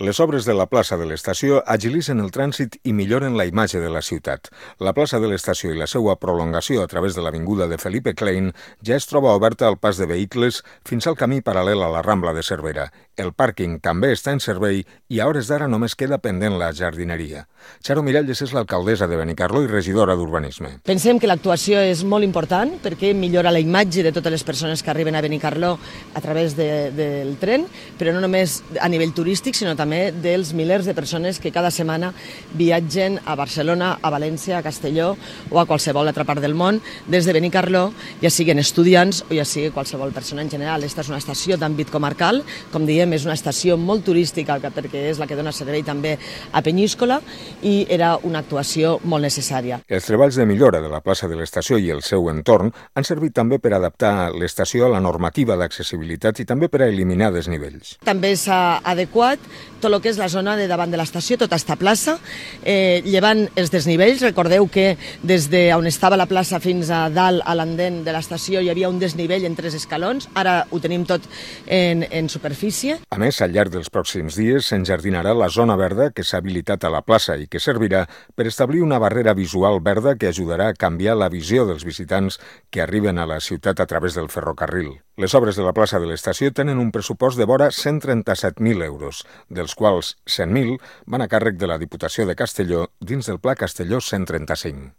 Les obres de la plaça de l'estació agilitzen el trànsit i milloren la imatge de la ciutat. La plaça de l'estació i la seva prolongació a través de l'avinguda de Felipe Klein ja es troba oberta al pas de vehicles fins al camí paral·lel a la Rambla de Cervera. El pàrquing també està en servei i a hores d'ara només queda pendent la jardineria. Charo Miralles és l'alcaldessa de Benicarló i regidora d'Urbanisme. Pensem que l'actuació és molt important perquè millora la imatge de totes les persones que arriben a Benicarló a través del tren, però no només a nivell turístic, sinó també dels milers de persones que cada setmana viatgen a Barcelona, a València, a Castelló o a qualsevol altra part del món des de Benicarló, ja siguin estudiants o ja sigui qualsevol persona en general. Esta és una estació d'àmbit comarcal, com diem, és una estació molt turística perquè és la que dona servei també a Penyíscola i era una actuació molt necessària. Els treballs de millora de la plaça de l'estació i el seu entorn han servit també per adaptar l'estació a la normativa d'accessibilitat i també per a eliminar desnivells. També s'ha adequat tot el que és la zona de davant de l'estació, tota esta plaça, llevant els desnivells. Recordeu que des d'on estava la plaça fins a dalt a l'andén de l'estació hi havia un desnivell en 3 escalons, ara ho tenim tot en superfície. A més, al llarg dels pròxims dies s'enjardinarà la zona verda que s'ha habilitat a la plaça i que servirà per establir una barrera visual verda que ajudarà a canviar la visió dels visitants que arriben a la ciutat a través del ferrocarril. Les obres de la plaça de l'estació tenen un pressupost de vora 137.000 euros, dels quals 100.000 van a càrrec de la Diputació de Castelló dins del Pla Castelló 135.